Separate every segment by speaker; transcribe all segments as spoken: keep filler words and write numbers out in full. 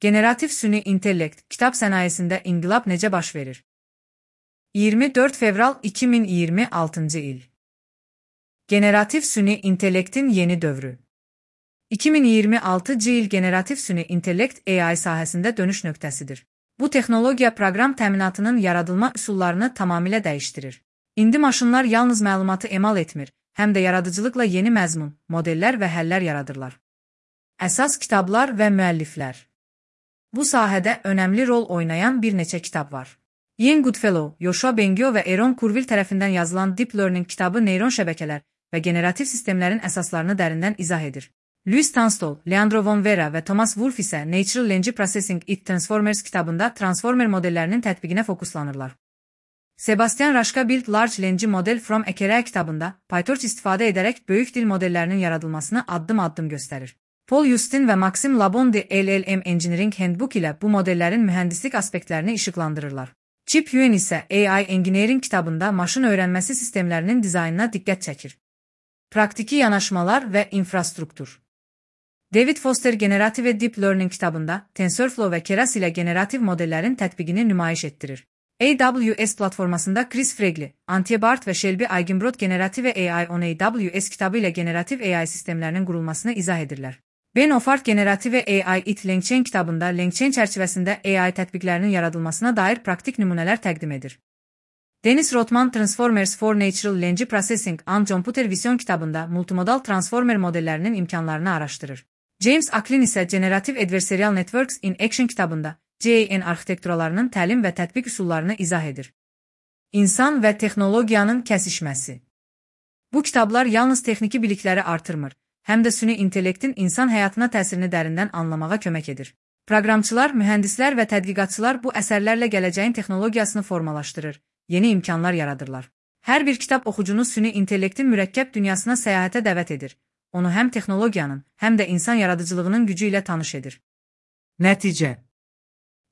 Speaker 1: Generativ süni intellekt, kitab sənayesində inqilab necə baş verir? iyirmi dörd fevral iki min iyirmi altıncı il. Generativ süni intellektin yeni dövrü. iki min iyirmi altıncı il generativ süni intellekt A I sahəsində dönüş nöqtəsidir. Bu texnologiya proqram təminatının yaradılma üsullarını tamamilə dəyişdirir. İndi maşınlar yalnız məlumatı emal etmir, həm də yaradıcılıqla yeni məzmun, modellər və həllər yaradırlar. Əsas kitablar və müəlliflər. Bu sahədə önəmli rol oynayan bir neçə kitab var. Ian Goodfellow, Yoshua Bengio və Aaron Kurzweil tərəfindən yazılan Deep Learning kitabı neyron şəbəkələr və generativ sistemlərin əsaslarını dərindən izah edir. Louis Tunstall, Leandro von Vera və Thomas Wolfe isə Natural Language Processing in Transformers kitabında transformer modellərinin tətbiqinə fokuslanırlar. Sebastian Raşka Build Large Language Model from a Keraa kitabında PyTorch istifadə edərək böyük dil modellərinin yaradılmasını addım-addım göstərir. Paul Justin və Maxim Labonde L L M Engineering Handbook ilə bu modellərin mühəndislik aspektlərini işıqlandırırlar. Chip Yuan isə A I Engineering kitabında maşın öyrənməsi sistemlərinin dizaynına diqqət çəkir. Praktiki yanaşmalar və infrastruktur. David Foster Generative Deep Learning kitabında TensorFlow və Keras ilə generativ modellərin tətbiqini nümayiş etdirir. A W S platformasında Chris Fregli, Antje Bart və Shelby Eigenbrod Generative A I on A W S kitabı ilə generativ A I sistemlərinin qurulmasını izah edirlər. Ben Offart Generative A I it LangChain kitabında LangChain çərçivəsində A I tətbiqlərinin yaradılmasına dair praktik nümunələr təqdim edir. Dennis Rothman Transformers for Natural Language Processing and Computer Vision kitabında multimodal transformer modellərinin imkanlarını araşdırır. James Acklin isə Generative Adversarial Networks in Action kitabında G A N arxitekturlarının təlim və tətbiq üsullarını izah edir. İnsan və texnologiyanın kəsişməsi. Bu kitablar yalnız texniki bilikləri artırmır, həm də süni intellektin insan həyatına təsirini dərindən anlamağa kömək edir. Proqramçılar, mühəndislər və tədqiqatçılar bu əsərlərlə gələcəyin texnologiyasını formalaşdırır, yeni imkanlar yaradırlar. Hər bir kitab oxucunu süni intellektin mürəkkəb dünyasına səyahətə dəvət edir. Onu həm texnologiyanın, həm də insan yaradıcılığının gücü ilə tanış edir. Nəticə.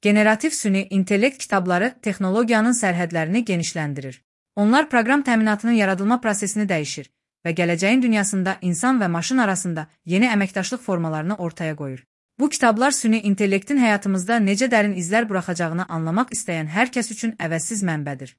Speaker 1: Generativ süni intellekt kitabları texnologiyanın sərhədlərini genişləndirir. Onlar proqram təminatının yaradılma prosesini dəyişir və gələcəyin dünyasında insan və maşın arasında yeni əməkdaşlıq formalarını ortaya qoyur. Bu kitablar süni intellektin həyatımızda necə dərin izlər buraxacağını anlamaq istəyən hər kəs üçün əvəzsiz mənbədir.